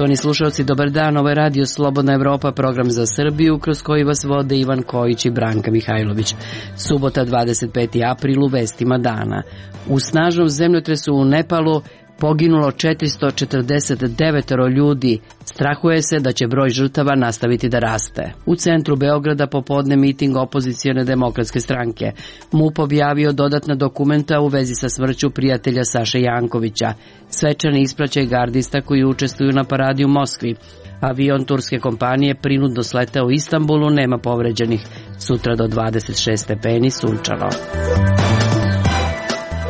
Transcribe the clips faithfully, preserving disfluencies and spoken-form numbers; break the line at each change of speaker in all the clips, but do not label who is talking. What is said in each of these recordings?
Poštovani slušalci, dobar dan, ovo je Radio Slobodna Evropa, program za Srbiju, kroz koji vas vode Ivan Kojić i Branka Mihajlović. Subota, dvadeset peti april, u vestima dana. U snažnom zemljotresu u Nepalu poginulo četiristo četrdeset devet ljudi. Strahuje se da će broj žrtava nastaviti da raste. U centru Beograda popodne miting opozicione demokratske stranke. MUP objavio dodatna dokumenta u vezi sa smrću prijatelja Saše Jankovića. Svečani ispraćaj gardista koji učestvuju na paradi u Moskvi. Avion turske kompanije prinudno sletao u Istanbulu, nema povređenih. Sutra do dvadeset šest stepeni, sunčano.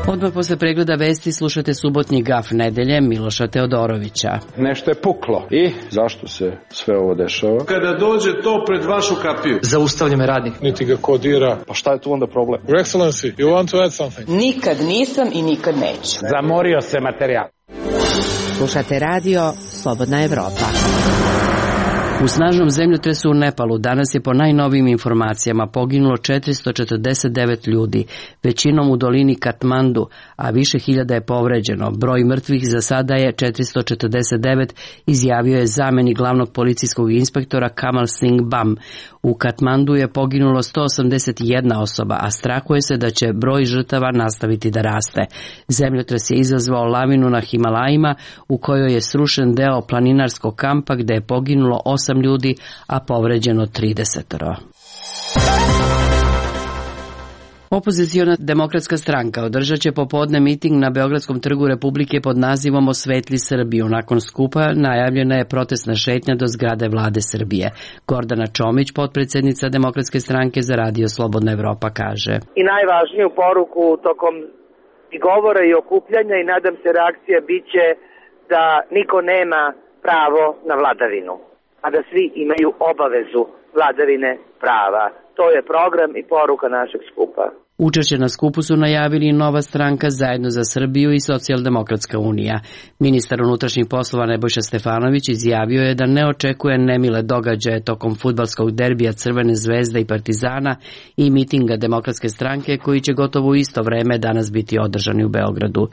Odmah posle pregleda vesti slušate subotnji gaf nedelje Miloša Teodorovića.
Nešto je puklo. I zašto se sve ovo dešava?
Kada dođe to pred vašu kapiju.
Zaustavlja me radnik.
Niti ga kodira. Pa šta je tu onda problem?
Your Excellency, you want to add something?
Nikad nisam i nikad neću.
Zamorio se materijal.
Slušate radio Slobodna Evropa.
U snažnom zemljotresu u Nepalu danas je po najnovijim informacijama poginulo četiristo četrdeset devet ljudi, većinom u dolini Katmandu, a više hiljada je povređeno. Broj mrtvih za sada je četiristo četrdeset devet, izjavio je zamenik glavnog policijskog inspektora Kamal Singh Bam. U Katmandu je poginulo sto osamdeset jedna osoba, a strahuje se da će broj žrtava nastaviti da raste. Zemljotres je izazvao lavinu na Himalajima, u kojoj je srušen deo planinarskog kampa gde je poginulo osam ljudi, a povređeno trideset. Opoziciona demokratska stranka održat će popodne miting na Beogradskom trgu Republike pod nazivom Osvetli Srbiju. Nakon skupa najavljena je protestna šetnja do zgrade vlade Srbije. Gordana Čomić, potpredsednica Demokratske stranke za Radio Slobodna Evropa, kaže:
I najvažniju poruku tokom i govora i okupljanja i nadam se reakcija biće da niko nema pravo na vladavinu, a da svi imaju obavezu vladavine prava. To je program i poruka našeg skupa.
Učešće na skupu su najavili Nova stranka, Zajedno za Srbiju i Socijaldemokratska unija. Ministar unutrašnjih poslova Nebojša Stefanović izjavio je da ne očekuje nemile događaje tokom fudbalskog derbija Crvene zvezde i Partizana i mitinga Demokratske stranke koji će gotovo u isto vreme danas biti održani u Beogradu.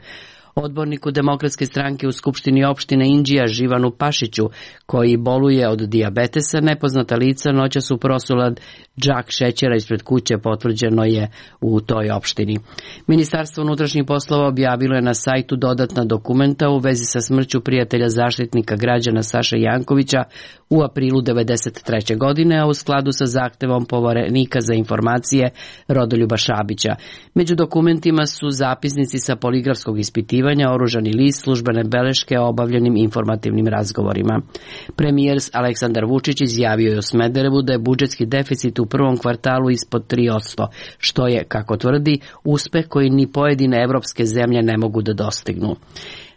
Odborniku Demokratske stranke u Skupštini opštine Inđija Živanu Pašiću, koji boluje od dijabetesa, nepoznata lica noćas su prosula džak šećera ispred kuće, potvrđeno je u toj opštini. Ministarstvo unutrašnjih poslova objavilo je na sajtu dodatna dokumenta u vezi sa smrću prijatelja zaštitnika građana Saše Jankovića u aprilu devedeset treće. godine, a u skladu sa zahtevom Poverenika za informacije Rodoljuba Šabića. Među dokumentima su zapisnici sa poligrafskog ispitivanja, oružani list, službene beleške o obavljenim informativnim razgovorima. Premijer Aleksandar Vučić izjavio je u Smederevu da je budžetski deficit u prvom kvartalu ispod tri posto, što je, kako tvrdi, uspeh koji ni pojedine evropske zemlje ne mogu da dostignu.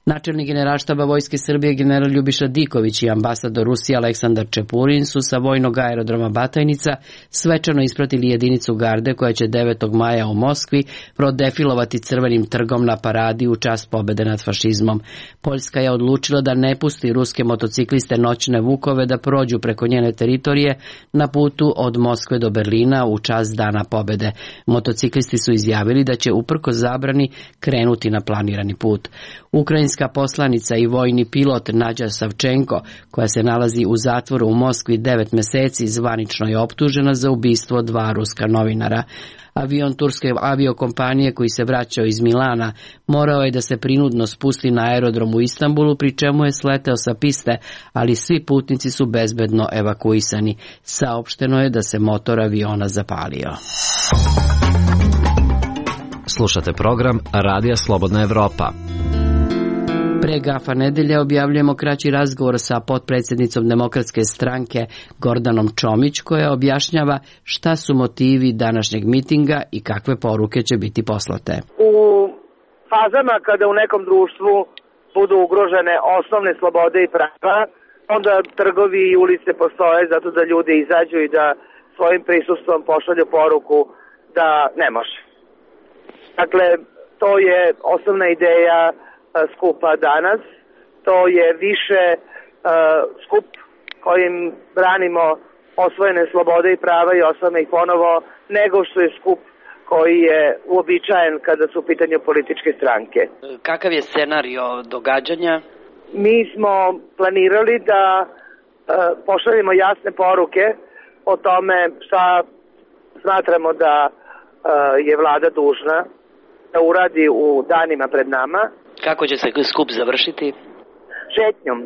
Načelnik Generalštaba Vojske Srbije general Ljubiša Diković i ambasador Rusije Aleksandar Čepurin su sa vojnog aerodroma Batajnica svečano ispratili jedinicu garde koja će devetog maja u Moskvi prodefilovati Crvenim trgom na paradi u čast pobede nad fašizmom. Poljska je odlučila da ne pusti ruske motocikliste noćne vukove da prođu preko njene teritorije na putu od Moskve do Berlina u čast Dana pobede. Motociklisti su izjavili da će uprkos zabrani krenuti na planirani put. Ukrajinska poslanica i vojni pilot Nađa Savčenko, koja se nalazi u zatvoru u Moskvi devet meseci, zvanično je optužena za ubistvo dva ruska novinara. Avion turske aviokompanije koji se vraćao iz Milana morao je da se prinudno spusti na aerodrom u Istanbulu, pri čemu je sleteo sa piste, ali svi putnici su bezbedno evakuisani. Saopšteno je da se motor aviona zapalio.
Slušate program Radija Slobodna Evropa.
Pre gafa nedelje objavljujemo kraći razgovor sa potpredsjednicom Demokratske stranke Gordanom Čomić, koja objašnjava šta su motivi današnjeg mitinga i kakve poruke će biti poslate.
U fazama kada u nekom društvu budu ugrožene osnovne slobode i prava, onda trgovi i ulice postoje zato da ljudi izađu i da svojim prisustvom pošalju poruku da ne može. Dakle, to je osnovna ideja skupa danas. To je više uh, skup kojim branimo osvojene slobode i prava i osvojimo ih ponovo, nego što je skup koji je uobičajen kada su u pitanju političke stranke.
Kakav je scenario događanja?
mi smo planirali da e, pošaljemo jasne poruke o tome šta smatramo da e, je vlada dužna da uradi u danima pred nama.
Kako će se skup završiti?
Šetnjom.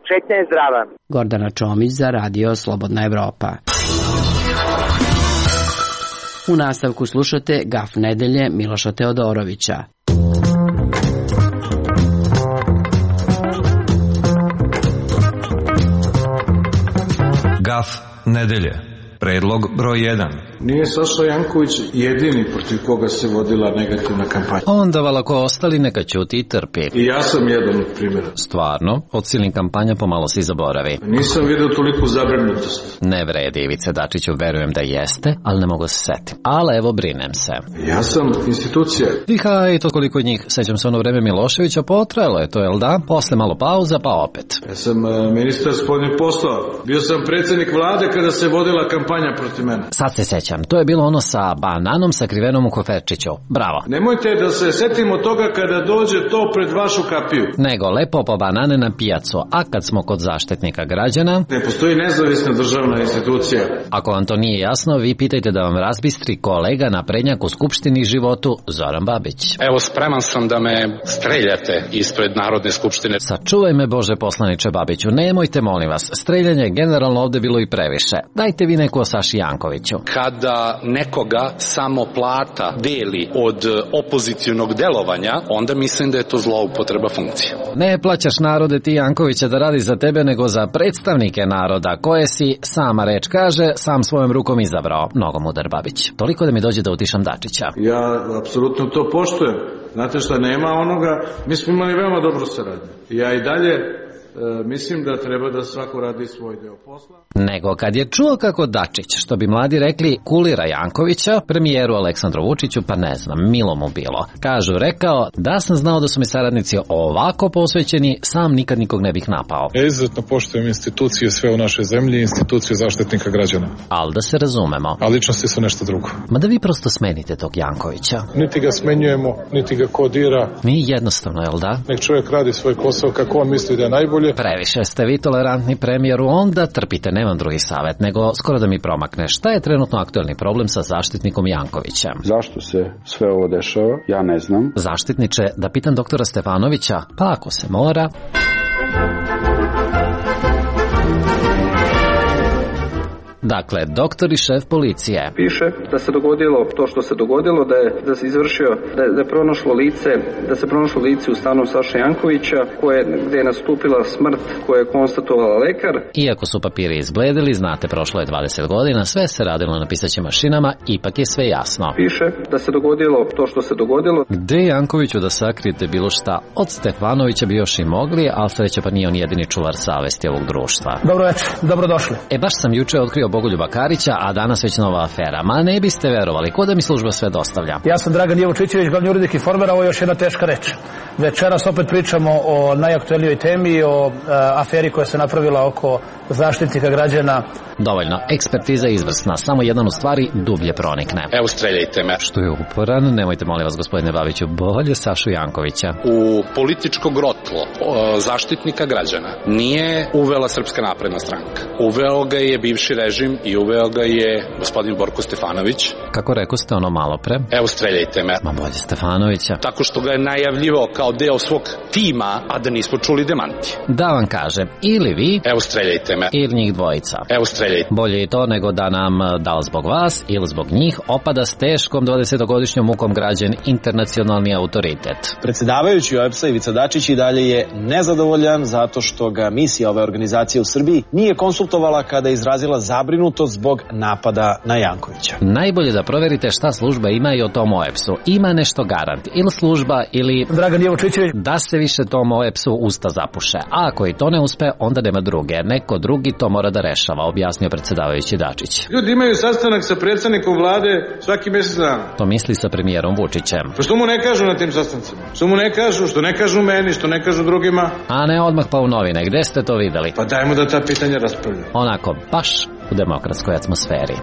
Šetnja je zdrava.
Gordana Čomić za Radio Slobodna Evropa. U nastavku slušate Gaf nedelje Miloša Teodorovića.
Gaf nedelje. Predlog broj jedan.
Nije Saša Janković jedini protiv koga se vodila negativna kampanja.
Onda valako ostali neka ćuti i trpi.
I ja sam jedan od primjera.
Stvarno, od silnih kampanja pomalo si zaboravi.
Nisam vidio toliko zabrinutost.
Ne vredi, Ivice Dačiću, verujem da jeste, ali ne mogu se setiti. Ali evo, brinem se.
Ja sam institucija.
I haj, to koliko njih, sećam se ono vreme Miloševića, potrajalo je to, jel da? Posle malo pauza, pa opet.
Ja sam uh, ministar spoljnih poslova. Bio sam predsjednik vlade kada se vodila kampanja protiv mene.
Sad se sećam, to je bilo ono sa bananom sakrivenom u koferčiću. Bravo.
Nemojte da se setimo toga kada dođe to pred vašu kapiju.
Nego lepo po banane na pijacu, a kad smo kod zaštitnika građana...
Ne postoji nezavisna državna institucija.
Ako vam to nije jasno, vi pitajte da vam razbistri kolega naprednjak u Skupštini životu Zoran Babić.
Evo, spreman sam da me streljate ispred Narodne skupštine.
Sačuvaj me, Bože poslaniče Babiću, nemojte molim vas, streljanje je generalno ovde bilo i previše. Dajte vi neko o Saši Jankoviću.
Kada nekoga samo plata deli od opozicionog delovanja, onda mislim da je to zloupotreba funkcije.
Ne plaćaš narode ti Jankovića da radi za tebe, nego za predstavnike naroda, koje si, sama reč kaže, sam svojom rukom izabrao. Mnogo mudar Babić. Toliko da mi dođe da utišam Dačića.
Ja apsolutno to poštujem. Znate šta, nema onoga, mi smo imali veoma dobru saradnju. Ja i dalje E, mislim da treba da svako radi svoj deo posla.
Nego kad je čuo kako Dačić, što bi mladi rekli, kulira Jankovića, premijeru Aleksandru Vučiću, pa ne znam, milo mu bilo. Kažu, rekao, da sam znao da su mi saradnici ovako posvećeni, sam nikad nikog ne bih napao.
Ja izuzetno poštujem institucije sve u našoj zemlji, institucije zaštitnika građana.
Ali da se razumemo.
A ličnosti su nešto drugo.
Ma da vi prosto smenite tog Jankovića.
Niti ga smenjujemo, niti ga kodira.
Mi jednostavno, jel da?
Nek čovjek radi svoj posao kako on misli da je najbolje.
Previše ste vi tolerantni premijeru, onda trpite, nemam drugi savjet, nego skoro da mi promakne. Šta je trenutno aktuelni problem sa zaštitnikom Jankovićem?
Zašto se sve ovo dešava? Ja ne znam.
Zaštitniče, da pitam doktora Stefanovića, pa ako se mora... Dakle, doktor i šef policije.
Piše da se dogodilo to što se dogodilo, da je, da se izvršio, da je, da je pronašlo lice, da se pronašlo lice u stanu Saše Jankovića, koje, gde je nastupila smrt koju je konstatovala lekar.
Iako su papiri izbledili, znate, prošlo je dvadeset godina, sve se radilo na pisaćim mašinama, ipak je sve jasno.
Piše da se dogodilo to što se dogodilo.
Gde Jankoviću da sakrijete bilo šta? Od Stefanovića bi još i mogli, ali sreće pa nije on jedini čuvar savesti ovog društva.
Dobro večer, dobrodošli.
E, baš sam juče otkrio Bogoljuba Karića, a danas već nova afera. Ma ne biste verovali, ko da mi služba sve dostavlja.
Ja sam Dragan Jevučićević, glavni urednik Informera, ovo je još jedna teška reč. Večeras opet pričamo o najaktuelnijoj temi, o e, aferi koja se napravila oko zaštitnika građana.
Dovoljno, ekspertiza je izvrsna, samo jedan u stvari dublje pronikne.
Evo, streljajte me.
Što je uporan, nemojte molim vas gospodine Babiću, bolje Sašu Jankovića.
U političko grotlo o, zaštitnika građana nije uvela Srpska napredna stranka. Uveo ga je bivši režim i uveo ga je gospodin Borko Stefanović.
Kako rekao ste ono malo pre?
Evo, streljajte me.
Ma bolje Stefanovića.
Tako što ga je najavljivao kao deo svog tima, a da nismo čuli demanti.
Da vam kažem, ili vi,
evo, streljajte me,
ili njih dvojica.
Evo, streljajte.
Bolje i to nego da nam, da li zbog vas ili zbog njih, opada s teškom dvadesetogodišnjom mukom građen internacionalni autoritet.
Predsjedavajući O E B S-a Ivica Dačić i dalje je nezadovoljan zato što ga misija ove organizacije u Srbiji nije konsultovala kada je izrazila zabrinutost zbog napada na Jankovića.
Najbolje da proverite šta služba ima i o tom O E B S-u. Ima nešto garant. Ili služba, ili...
Dragan Jevučićević.
Da se više tom O E B S-u usta zapuše. A ako i to ne uspe, onda nema druge. Neko drugi to mora da rešava, objasnio predsjedavajući Dačić.
Ljudi imaju sastanak sa predsjednikom vlade svaki mjesec dana.
To misli sa premijerom Vučićem.
Pa što mu ne kažu na tim sastancima? Što mu ne kažu, što ne kažu meni, što ne kažu drugima?
A ne odmah pa u novine. Gde ste to videli?
Pa dajmo da ta pitanja raspravljaju.
Onako, baš u demokratskoj atmosferi.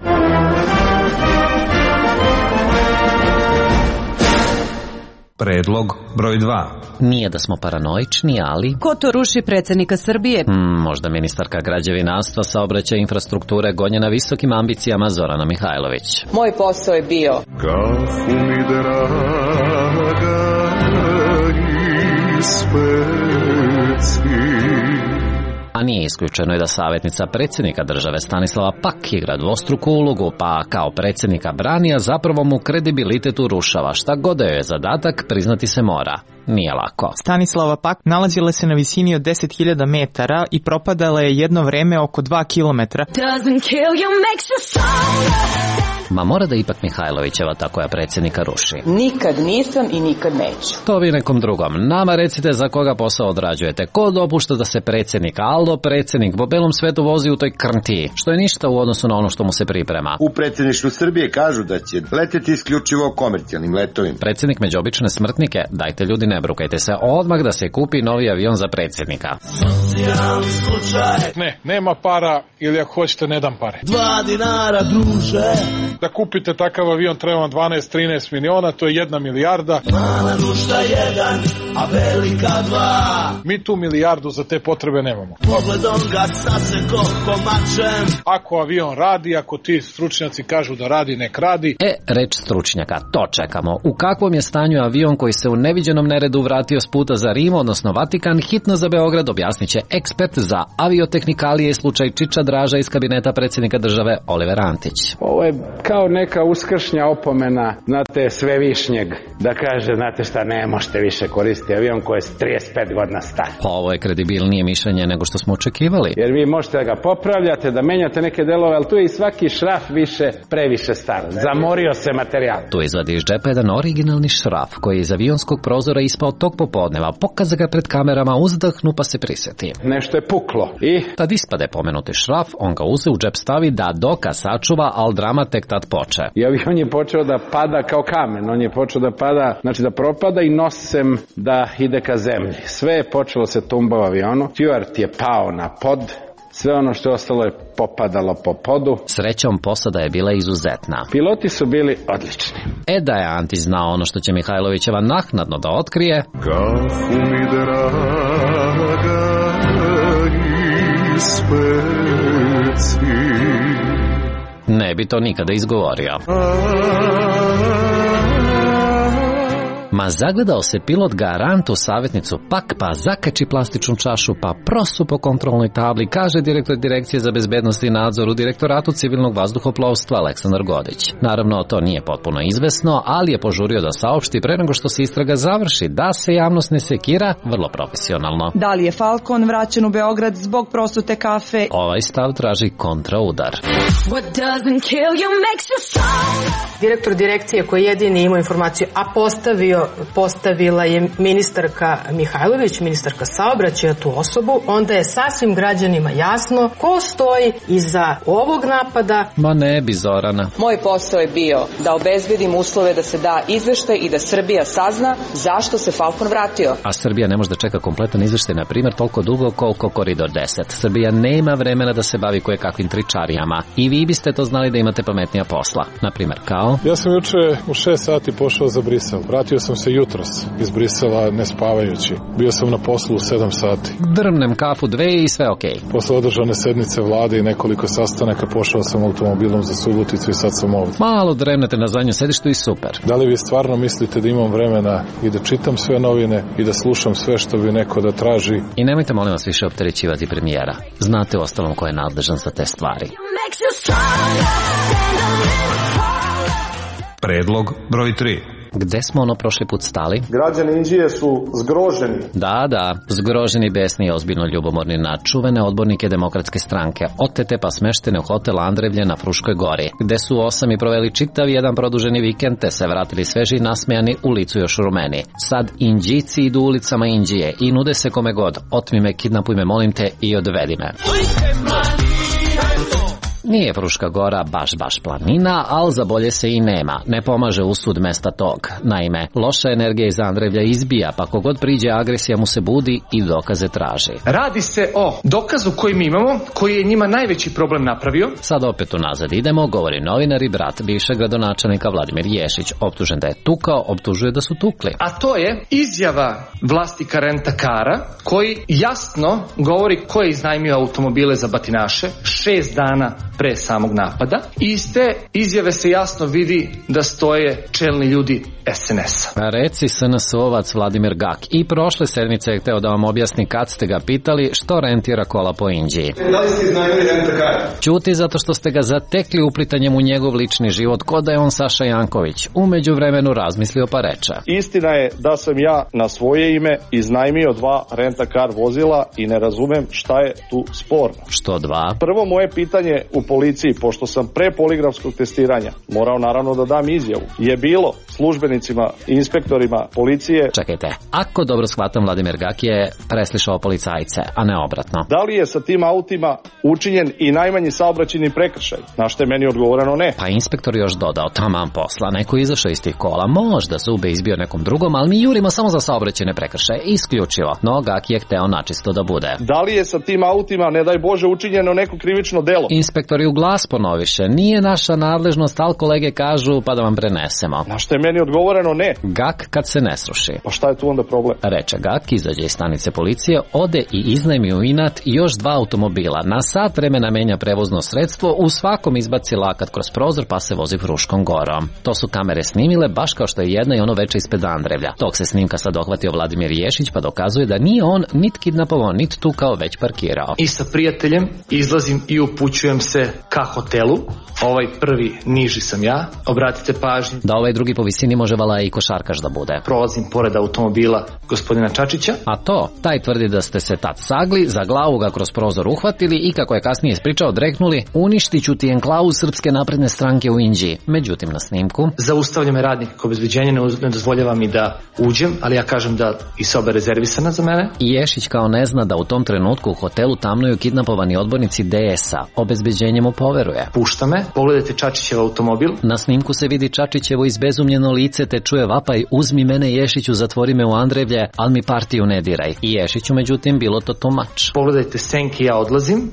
Predlog broj dva.
Nije da smo paranoični, ali...
Ko to ruši predsjednika Srbije?
Hmm, možda ministarka građevinarstva, saobraćaja i infrastrukture gonjena visokim ambicijama Zorana Mihajlović.
Moj posao je bio
kafu mi draga ispeci.
A nije isključeno i da savjetnica predsjednika države Stanislava Pak igra dvostruku ulogu, pa kao predsjednika brani, a zapravo mu kredibilitet urušava. Šta god da joj je zadatak, priznati se mora. Nije lako.
Stanislava Pak nalazila se na visini od deset hiljada metara i propadala je jedno vreme oko dva kilometra.
Ma mora da ipak Mihajlovićeva ta koja predsjednika ruši.
Nikad nisam i nikad neću.
To vi nekom drugom. Nama recite za koga posao odrađujete. Ko dopušta da se predsjednik, Aldo predsjednik, po belom svetu vozi u toj krntiji, što je ništa u odnosu na ono što mu se priprema.
U predsjedništvu Srbije kažu da će leteti isključivo komercijalnim letovima.
Predsjednik među obične smrtnike, dajte ljudi ne brukajte se, odmah da se kupi novi avion za predsjednika.
Ne, nema para ili ako hoćete ne dam pare.
Dva dinara druže.
Da kupite takav avion treba vam dvanaest do trinaest miliona, to je jedna milijarda.
Mala duša jedan, a velika dva.
Mi tu milijardu za te potrebe nemamo.
Pogledom ga saseko komačem.
Ako avion radi, ako ti stručnjaci kažu da radi, nek radi.
E, reč stručnjaka, to čekamo. U kakvom je stanju avion koji se u neviđenom neredu vratio s puta za Rim, odnosno Vatikan, hitno za Beograd, objasnit će ekspert za aviotehnikalije i slučaj Čiča Draža iz kabineta predsjednika države Oliver Antić.
Ovo je kao neka uskršnja opomena, znate, svevišnjeg, da kaže, znate šta, ne možete više koristiti avion koji je trideset pet godina star.
Ovo je kredibilnije mišljenje nego što smo očekivali.
Jer vi možete da ga popravljate, da menjate neke delove, ali tu je i svaki šraf više, previše star. Zamorio se materijal.
Tu izvadi iz džepa jedan originalni šraf koji je iz avionskog prozora ispao tog popodneva, pokaza ga pred kamerama, uzdahnu pa se prisjeti.
Nešto je puklo i...
Tad ispade pomenuti šraf, on ga uze u džep stavi da doka sačuva, al drama tek tad poče.
I avion je počeo da pada kao kamen, on je počeo da pada, znači da propada i nosem da ide ka zemlji. Sve je počelo se tumba u avionu, Stewart je pao na pod, sve ono što je ostalo je popadalo po podu.
Srećom posada je bila izuzetna.
Piloti su bili odlični.
E da je Antić znao ono što će Mihajlovićeva naknadno da otkrije.
Kafu mi draga ispeci.
Ne bi to nikada izgovorio. Ma zagledao se pilot garantu savjetnicu Pak, pa zakači plastičnu čašu, pa prosu po kontrolnoj tabli, kaže direktor Direkcije za bezbednost i nadzor u Direktoratu civilnog vazduhoplovstva Aleksandar Godić. Naravno, to nije potpuno izvesno, ali je požurio da saopšti pre nego što se istraga završi, da se javnost ne sekira, vrlo profesionalno.
Da li je Falcon vraćen u Beograd zbog prosute kafe?
Ovaj stav traži kontraudar.
Direktor direkcije koji jedini ima informaciju, a postavio postavila je ministarka Mihajlović, ministarka saobraćaja tu osobu, onda je sasvim građanima jasno ko stoji iza ovog napada.
Ma ne bi, Zorana.
Moj posao je bio da obezbedim uslove da se da izveštaj i da Srbija sazna zašto se Falcon vratio.
A Srbija ne može da čeka kompletan izveštaj, na primjer, toliko dugo koliko Koridor deset. Srbija nema vremena da se bavi koje kakvim tričarijama. I vi biste to znali da imate pametnija posla. Na primjer, kao...
Ja sam juče u šest sati pošao za Brisel. Vratio sam se jutros iz Brisela ne spavajući. Bio sam na poslu u sedam sati.
Drmnem kafu dve i sve okej. Okay.
Posle održane sednice vlade i nekoliko sastanaka pošao sam automobilom za Suboticu i sad sam ovdje.
Malo dremnete na zadnjem sedištu i super.
Da li vi stvarno mislite da imam vremena i da čitam sve novine i da slušam sve što bi neko da traži?
I nemojte molim vas više opterećivati premijera. Znate ostalom ko je nadležan za te stvari.
Predlog broj tri.
Gde smo ono prošli put stali?
Građani Inđije su zgroženi.
Da, da, zgroženi, besni i ozbiljno ljubomorni na čuvene odbornike Demokratske stranke, otete pa smeštene u hotel Andrevlje na Fruškoj gori, gde su osam i proveli čitav jedan produženi vikend, te se vratili sveži i nasmejani u licu još rumeni. Sad Inđici idu ulicama Inđije i nude se kome god, otmi me, kidnapuj me, molim te i odvedi me. Nije Fruška Gora baš baš planina, ali za bolje se i nema. Ne pomaže usud mesta tog. Naime, loša energija iz Andrevlja izbija, pa kogod priđe agresija mu se budi i dokaze traži.
Radi se o dokazu koji mi imamo, koji je njima najveći problem napravio.
Sad opet unazad idemo, govori novinar i brat bivšeg gradonačelnika Vladimir Ješić. Optužen da je tukao, optužuje da su tukli.
A to je izjava vlasnika rentakara koji jasno govori ko je iznajmio automobile za batinaše šest dana pre samog napada. Iz te izjave se jasno vidi da stoje čelni ljudi es en es-a.
Reci es en es-ovac Vladimir Gak i prošle sedmice je hteo da vam objasni kad ste ga pitali što rentira kola po Inđiji.
Da li ste iznajmili rentakar?
Ćuti zato što ste ga zatekli uplitanjem u njegov lični život ko da je on Saša Janković. U međuvremenu razmislio pa reče.
Istina je da sam ja na svoje ime iznajmio dva rentakar vozila i ne razumem šta je tu sporno.
Što dva?
Prvo moje pitanje u policiji, pošto sam pre poligrafskog testiranja morao naravno da dam izjavu, je bilo službenicima i inspektorima policije.
Čekajte, ako dobro shvatam, Vladimir Gak je preslišao policajce, a ne obratno.
Da li je sa tim autima učinjen i najmanji saobraćajni prekršaj? Na što je meni odgovoreno ne.
Pa inspektor još dodao, taman posla, neko je izašao iz tih kola, možda zube izbio nekom drugom, ali mi jurimo samo za saobraćajne prekršaje, isključivo. No Gak je hteo načisto da bude.
Da li je sa tim autima, ne daj Bože, učinjeno neko krivično delo?
Inspektor je u glas ponoviše, nije naša nadležnost, ali kolege kažu pa da vam prenesemo.
Na što je meni odgovoreno ne.
Gak kad se ne sruši.
Pa šta je tu onda problem?
Reče Gak, izađe iz stanice policije, ode i iznajmi u inat još dva automobila. Na sat vremena menja prevozno sredstvo, u svakom izbaci lakat kroz prozor pa se vozi Fruškom Gorom. To su kamere snimile baš kao što je jedna i ono veče ispred Andrevlja. Tog se snimka sad dohvatio Vladimir Ješić pa dokazuje da nije on nit kidnapovao, nit tukao, već parkirao.
I sa prijateljem izlazim i upućujem se ka hotelu. Ovaj prvi niži sam ja, obratite pažnju.
Da ovaj drugi po visini može vala i košarkaš da bude.
Prolazim pored automobila gospodina Čačića.
A to, taj tvrdi da ste se tad sagli, za glavu ga kroz prozor uhvatili i kako je kasnije ispričao, dreknuli, uništit ću ti enklavu Srpske napredne stranke u Inđiji. Međutim, na snimku
zaustavlja me radnik kao obezbeđenje, ne dozvoljava mi da uđem, ali ja kažem da i soba je rezervisana za mene.
I Ješić kao ne zna da u tom trenutku u hotelu tamnuju kidnapovani odbornici de es a. Obezbeđenje mu poveruje.
Pušta me, pogledajte Čačićev automobil.
Na snimku se vidi Čačićevo izbezumljeno lice te čuje vapaj, uzmi mene Ješiću, zatvori me u Andrevlje, al mi partiju ne diraj. I Ješiću međutim bilo to tumač.
Pogledajte senke, ja odlazim.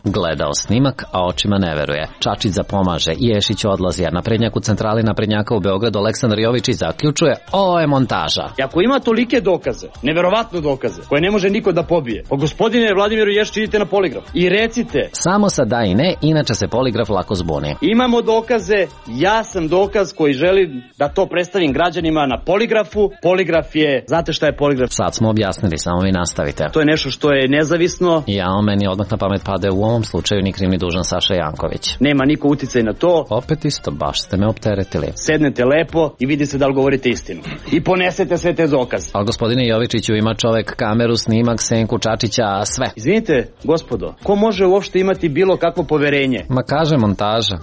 Gledao snimak, a očima ne veruje. Čačić zapomaže, Ješić odlazi, a naprednjak u centrali naprednjaka u Beogradu Aleksandar Jovičić zaključuje, ovo je montaža.
I ako ima tolike dokaze, neverovatno dokaze, koje ne može niko da pobije, pa gospodine Vladimiru Ješiću, idite na poligraf i recite.
Samo sa da i ne, inače se poligraf lako zbuni.
Imamo dokaze, ja sam dokaz koji želim da to predstavim građanima na poligrafu. Poligraf je, znate šta je poligraf?
Sad smo objasnili, samo vi nastavite.
To je nešto što je nezavisno.
Ja, meni odmah na pamet pade u ovom slučaju ni kriv ni dužan Saša Janković.
Nema niko uticaj na to.
Opet isto, baš ste me opteretili.
Sednete lepo i vidite da li govorite istinu. I ponesete sve te dokaze.
Ali gospodine Jovičiću, ima čovek kameru, snimak, senku Čačića, sve.
Izvinite, gospodo, ko može uopšte imati bilo kakvo poverenje?
Ma kaže montaža.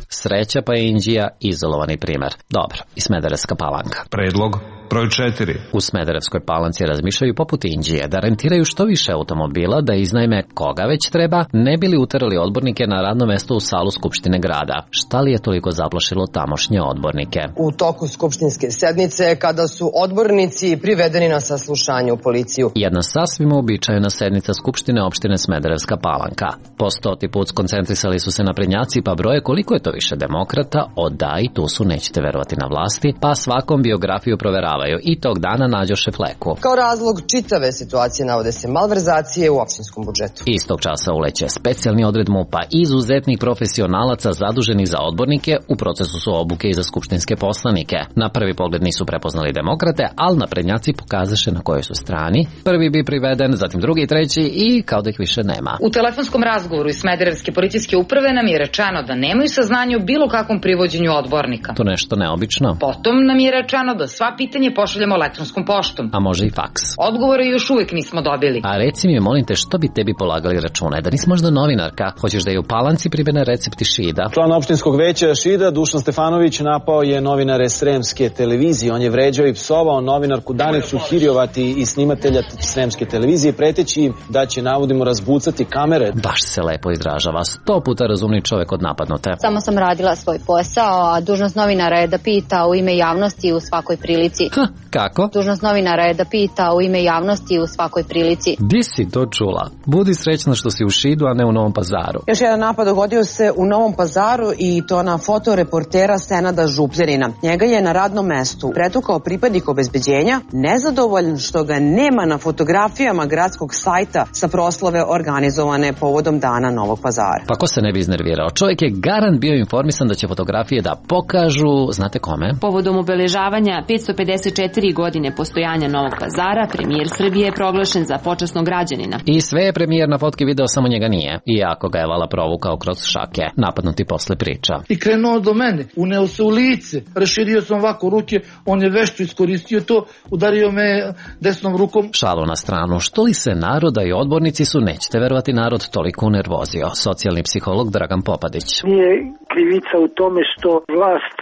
Sreća pa je Inđija izolovani primer. Dobro, i Smederevska Palanka.
Predlog broj četiri.
U Smederevskoj Palanci razmišljaju poput Inđije da rentiraju što više automobila, da iznajme koga već treba, ne bili uterali odbornike na radno mesto u salu Skupštine grada. Šta li je toliko zaplašilo tamošnje odbornike?
U toku skupštinske sednice, kada su odbornici privedeni na saslušanje u policiju.
Jedna sasvim uobičajena sednica Skupštine opštine Smederevska Palanka. Po stoti put skoncentrisali su se naprednjaci pa broje koliko je to više demokrata, o da i tu su, nećete verovati, na vlasti, pa svakom biografiju proveravaju i tog dana nađoše fleku.
Kao razlog čitave situacije navode se malverzacije u opštinskom budžetu.
Istog časa uleće specijalni odred MUP-a, izuzetnih profesionalaca zaduženih za odbornike, u procesu su obuke i za skupštinske poslanike. Na prvi pogled nisu prepoznali demokrate, ali naprednjaci pokazaše na kojoj su strani. Prvi bi priveden, zatim drugi i treći i kao da ih više nema.
U telefonskom razgovoru iz Smederevske policijske uprave nam je rečeno da nemaju saznanja o bilo kakvom privođenju odbornika.
To nešto neobično.
Potom nam je rečeno da sva pitanja obaveštenje pošaljemo elektronskom poštom.
A može i faks.
Odgovore još uvek nismo dobili.
A reci mi, molim te, što bi tebi polagali račune? Da nisi možda novinarka? Hoćeš da je u Palanci primene recepti Šida?
Član opštinskog veća Šida, Dušan Stefanović, napao je novinare Sremske televizije. On je vređao i psovao novinarku Danicu Hirjovati i snimatelja Sremske televizije, preteći im da će, navodimo, razbucati kamere.
Baš se lepo izražava. Sto puta razumni čovek od napadnute.
Samo sam radila svoj posao, a dužnost novinara je da pita u ime javnosti u svakoj prilici.
Ha, kako?
Dužnost novinara je da pita u ime javnosti u svakoj prilici.
Di si to čula? Budi srećna što si u Šidu, a ne u Novom Pazaru.
Još jedan napad dogodio se u Novom Pazaru i to na fotoreportera Senada Župljanina. Njega je na radnom mestu pretukao pripadnik obezbeđenja, nezadovoljan što ga nema na fotografijama gradskog sajta sa proslave organizovane povodom Dana Novog Pazara.
Pa ko se ne bi iznervirao? Čovjek je garant bio informisan da će fotografije da pokažu, znate kome?
Povodom obeležavanja petsto pedeset četiri godine postojanja Novog Pazara, premijer Srbije je proglašen za počasnog građanina.
I sve je premijer na fotki video, samo njega nije. Iako ga je vala provukao kroz šake, napadnuti posle priča.
I krenuo do mene, uneo se u lice, raširio sam ovako ruke, on je vešto iskoristio to, udario me desnom rukom.
Šalu na stranu, što li se naroda i odbornici su, nećete verovati, narod toliko unervozio. Socijalni psiholog Dragan Popadić.
Nije krivica u tome što vlast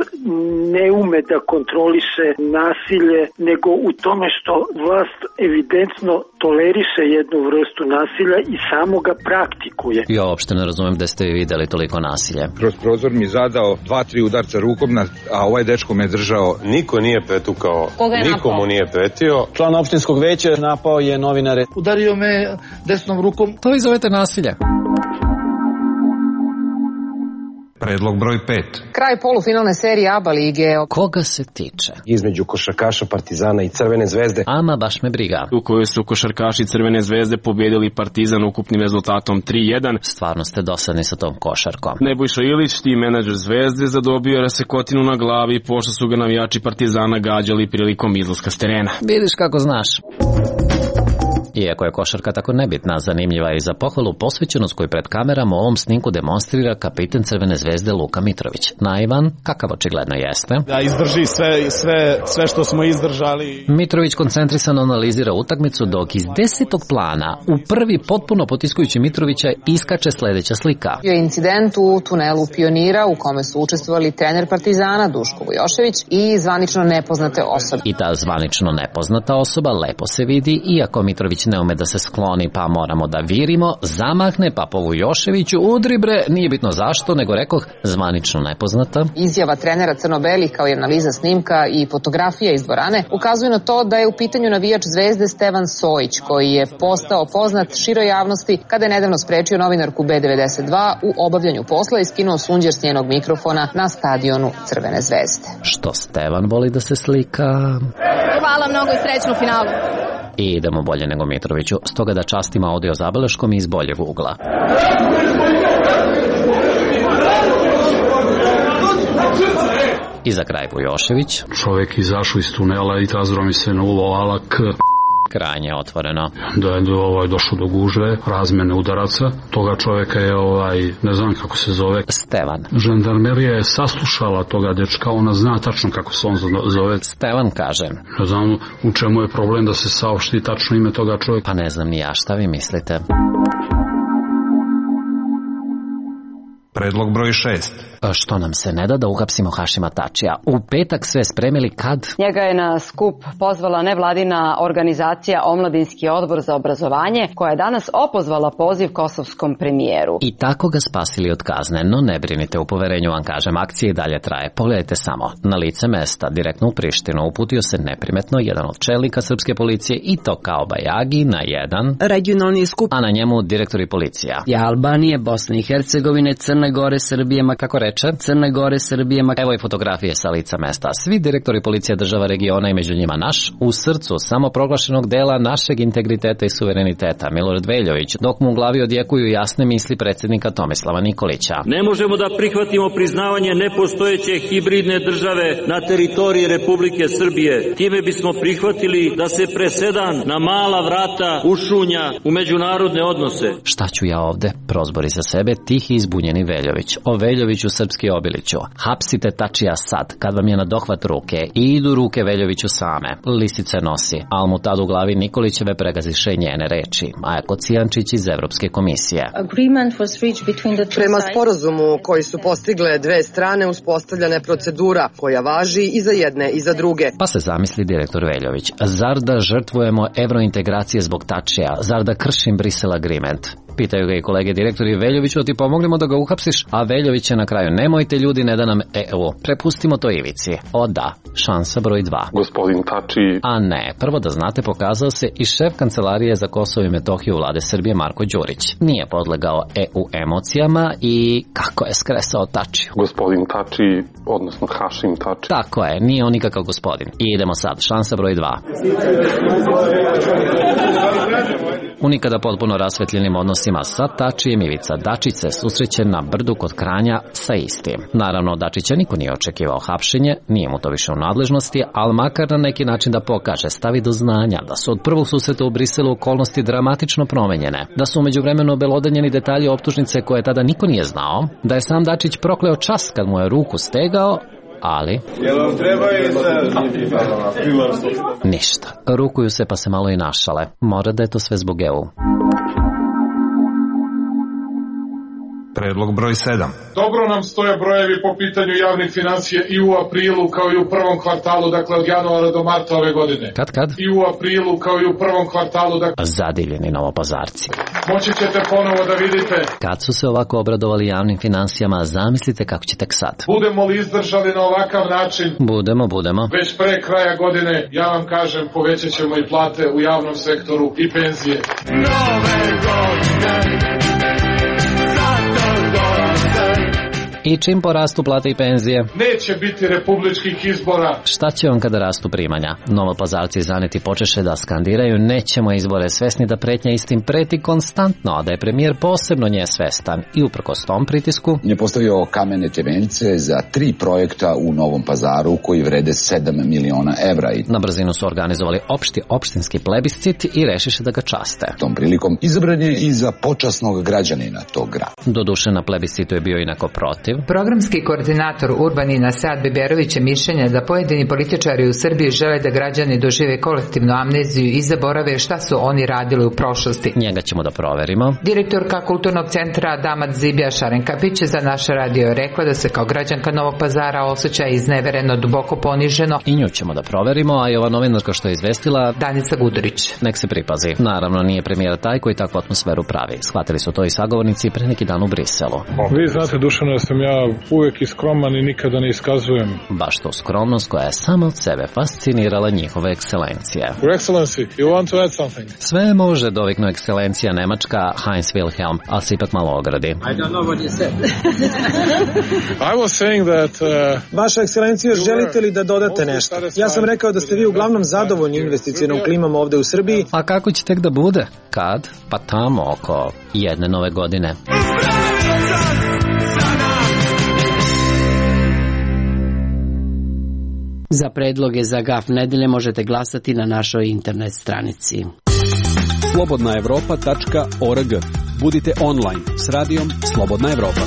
ne ume da kontroliše nasilje, nego u tome što vlast evidentno toleriše jednu vrstu nasilja i samo ga praktikuje.
Ja uopšte ne razumem da ste vi videli toliko nasilje.
Kroz prozor mi zadao dva, tri udarca rukom, a ovaj dečko me držao.
Niko nije pretukao, nikomu nije pretio.
Član opštinskog veća napao je novinare.
Udario me desnom rukom.
To vi zovete nasilje.
Predlog broj pet.
Kraj polufinalne serije ABA lige.
Koga se tiče?
Između košarkaša Partizana i Crvene zvezde.
Ama baš me briga.
U kojoj su košarkaši Crvene zvezde pobedili Partizan ukupnim rezultatom tri jedan.
Stvarno ste dosadni sa tom košarkom.
Nebojša Ilić, tim menadžer Zvezde, zadobio rasekotinu na glavi pošto su ga navijači Partizana gađali prilikom izlaska s terena.
Vidiš kako znaš. Iako je košarka tako nebitna, zanimljiva je i za pohvalu posvećenost koju pred kamerama u ovom snimku demonstrira kapiten Crvene zvezde Luka Mitrović. Naivan, kakav očigledno jeste.
Da izdrži sve, sve, sve što smo izdržali.
Mitrović koncentrisano analizira utakmicu, dok iz desetog plana u prvi potpuno potiskujući Mitrovića iskače sledeća slika.
Bio je incident u tunelu Pionira u kome su učestvovali trener Partizana Duško Vujošević i zvanično nepoznate osobe.
I ta zvanično nepoznata osoba lepo se vidi, iako Mitrović ne ume da se skloni, pa moramo da virimo, zamahne, pa po Vujoševiću udri bre, nije bitno zašto, nego rekoh zvanično nepoznata.
Izjava trenera Crno-Beli kao i analiza snimka i fotografija iz dvorane ukazuju na to da je u pitanju navijač Zvezde Stevan Sojić, koji je postao poznat široj javnosti kada je nedavno sprečio novinarku B devedeset dva u obavljanju posla i skinuo sunđer s njenog mikrofona na stadionu Crvene zvezde.
Što Stevan voli da se slika.
Hvala mnogo i srećnu finalu.
I idemo bolje nego Mitroviću, stoga da častimo audio zabeleškom iz boljeg ugla. I za kraj Vujošević.
Čovjek izašao iz tunela i tazro mi se nulo K.
Krajnje otvoreno.
Da je ovaj došao do gužve, razmene udaraca. Toga čovjeka je, ovaj, ne znam kako se zove.
Stevan.
Žandarmerija je saslušala toga dečka, ona zna tačno kako se on zove.
Stevan kaže.
Ne znam u čemu je problem da se saopšti tačno ime toga čovjeka.
Pa ne znam ni ja, šta vi mislite?
Predlog broj šest.
Što nam se ne da da uhapsimo Hašima Tačija? U petak sve spremili kad?
Njega je na skup pozvala nevladina organizacija Omladinski odbor za obrazovanje, koja je danas opozvala poziv kosovskom premijeru.
I tako ga spasili od kazne, no ne brinite, u poverenju vam kažem, akcija i dalje traje. Pogledajte samo, na lice mesta, direktno u Prištinu, uputio se neprimetno jedan od čelnika srpske policije i to kao bajagi na jedan
regionalni skup,
a na njemu direktori policija.
I Albanije, Bosne i Hercegovine, Crne Gore, Srbije, ma kako reče, Crne Gore, Srbije, ma...
Evo i fotografije sa lica mesta. Svi direktori policije država regiona i među njima naš, u srcu samoproglašenog dela našeg integriteta i suvereniteta, Milorad Veljović, dok mu u glavi odjekuju jasne misli predsjednika Tomislava Nikolića.
Ne možemo da prihvatimo priznavanje nepostojeće hibridne države na teritoriji Republike Srbije. Time bismo prihvatili da se presedan na mala vrata ušunja u međunarodne odnose.
Šta ću ja ovde? Prozbori za sebe, tihi izbunjeni Veljović. O Veljoviću srpski Obiliću. Hapsite Tačija sad, kad vam je na dohvat ruke i idu ruke Veljoviću same. Lisice nosi, al mu tad u glavi Nikolićeve pregaziše njene reči. Maja Kocijančić iz Evropske komisije.
Prema sporazumu koji su postigle dve strane, uspostavljena je procedura koja važi i za jedne i za druge.
Pa se zamisli direktor Veljović. Zar da žrtvujemo evrointegracije zbog Tačija? Zar da kršim Brisel Agreement? Pitaju ga i kolege direktori: Veljoviću, ti pomoglimo da ga uhapsiš, a Veljović je na kraju: nemojte ljudi, ne da nam E U. Prepustimo to Ivici. O da, šansa broj dva.
Gospodin Tači.
A ne, prvo da znate, pokazao se i šef kancelarije za Kosovo i Metohiju vlade Srbije Marko Đurić. Nije podlegao E U emocijama i kako je skresao Tačiju.
Gospodin Tači, odnosno Hašim Tači.
Tako je, nije on nikakav gospodin. I idemo sad, šansa broj dva. U nikada potpuno rasvetljenim odnosima sa Tačijem Ivica Dačić se susreće na brdu kod Kranja sa istim. Naravno, Dačića niko nije očekivao hapšenje, nije mu to više u nadležnosti, ali makar na neki način da pokaže, stavi do znanja da su od prvog susreta u Briselu okolnosti dramatično promenjene, da su umeđu vremenu obelodanjeni detalji optužnice koje tada niko nije znao, da je sam Dačić prokleo čas kad mu je ruku stegao, ali ništa. Rukuju se pa se malo i našale. Mora da je to sve zbog E U.
Predlog broj sedam.
Dobro nam stoje brojevi po pitanju javnih financija i u aprilu kao i u prvom kvartalu, dakle od januara do marta ove godine.
Kad, kad?
I u aprilu kao i u prvom kvartalu, dakle...
Zadivljeni Novopazarci.
Moći ćete ponovo da vidite.
Kad su se ovako obradovali javnim financijama, zamislite kako će tek sad.
Budemo li izdržali na ovakav način?
Budemo, budemo.
Već pre kraja godine, ja vam kažem, povećat ćemo i plate u javnom sektoru i penzije. Nove godine.
I čim porastu plate i penzije?
Neće biti republičkih izbora.
Šta će on kada rastu primanja? Novopazarci zaneti počeše da skandiraju: nećemo izbore, svesni da pretnja istim preti konstantno, a da je premijer posebno nje svestan. I uprkos tom pritisku
je postavio kamene temeljce za tri projekta u Novom Pazaru koji vrede sedam miliona evra. I
na brzinu su organizovali opšti opštinski plebiscit i rešiše da ga časte.
Tom prilikom izabran je i za počasnog građanina tog grada.
Doduše na plebiscitu je bio inako protiv.
Programski koordinator Urbanina Sad Biberović je mišljenja da pojedini političari u Srbiji žele da građani dožive kolektivnu amneziju i zaborave šta su oni radili u prošlosti.
Njega ćemo da proverimo.
Direktorka Kulturnog centra Damat Zibija Šarenkapić je za naš radio rekla da se kao građanka Novog Pazara osjeća iznevereno, duboko poniženo.
I nju ćemo da proverimo, a i ova novinarka što je izvestila,
Danica Gudurić.
Nek se pripazi. Naravno, nije premijer taj koji takvu atmosferu pravi. Shvatili su to i sagovornici pre neki dan u Briselu.
Vi znate, Dušano, da sam ja uvek iskroman i nikada ne iskazujem.
Baš to skromnost koja je samo od sebe fascinirala njihove ekscelencije.
Your Excellency, you want to add something?
Sve može, doviknu ekscelencija Nemačka Heinz Wilhelm, ali se ipak malo ogradi.
I don't know what you said. I was saying that... Uh,
Vaša ekscelencija, želite li da dodate nešto? Ja sam rekao da ste vi uglavnom zadovoljni investicijnom klimom ovde u Srbiji.
A kako će tek da bude? Kad? Pa tamo oko jedne nove godine.
Za predloge za Gaf nedelje možete glasati na našoj internet stranici.
slobodna evropa tačka org. Budite online s radijom Slobodna Evropa.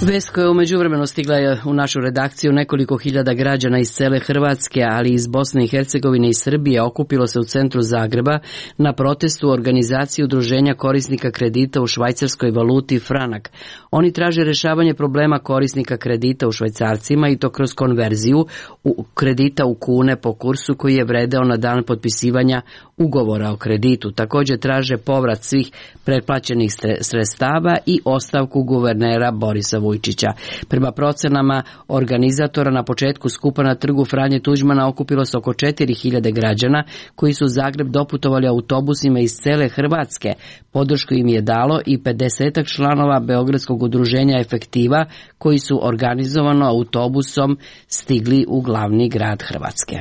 Vest koja je u međuvremenu stigla je u našu redakciju: nekoliko hiljada građana iz cele Hrvatske, ali iz Bosne i Hercegovine i Srbije okupilo se u centru Zagreba na protestu organizaciji udruženja korisnika kredita u švajcarskoj valuti franak. Oni traže rešavanje problema korisnika kredita u švajcarcima i to kroz konverziju u kredita u kune po kursu koji je vredeo na dan potpisivanja ugovora o kreditu. Također traže povrat svih pretplaćenih sredstava i ostavku guvernera Borisa Vujčića. Prema procenama organizatora, na početku skupa na trgu Franje Tuđmana okupilo se oko četiri hiljade građana koji su u Zagreb doputovali autobusima iz cele Hrvatske. Podršku im je dalo i pedesetak članova Beogradskog udruženja Efektiva koji su organizovano autobusom stigli u glavni grad Hrvatske.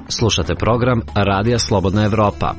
Slušate program Radija Slobodna Evropa.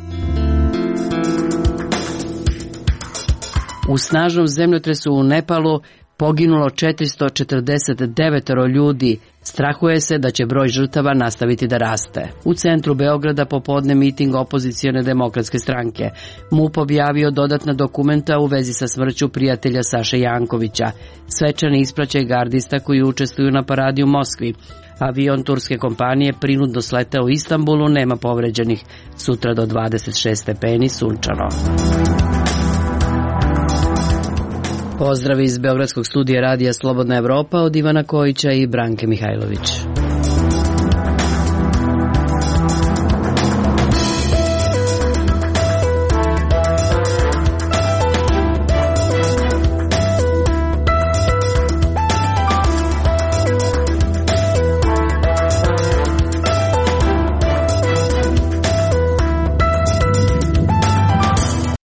U snažnom zemljotresu u Nepalu poginulo četiristo četrdeset devet ljudi, Strahuje se da će broj žrtava nastaviti da raste. U centru Beograda popodne miting opozicione demokratske stranke. M U P objavio dodatna dokumenta u vezi sa smrću prijatelja Saše Jankovića. Svečani ispraćaj gardista koji učestvuju na paradi u Moskvi. Avion turske kompanije prinudno sletao u Istanbulu, nema povređenih. Sutra do dvadeset šest stepeni, sunčano. Pozdrav iz Beogradskog studija radija Slobodna Evropa od Ivana Kojića i Branke Mihajlović.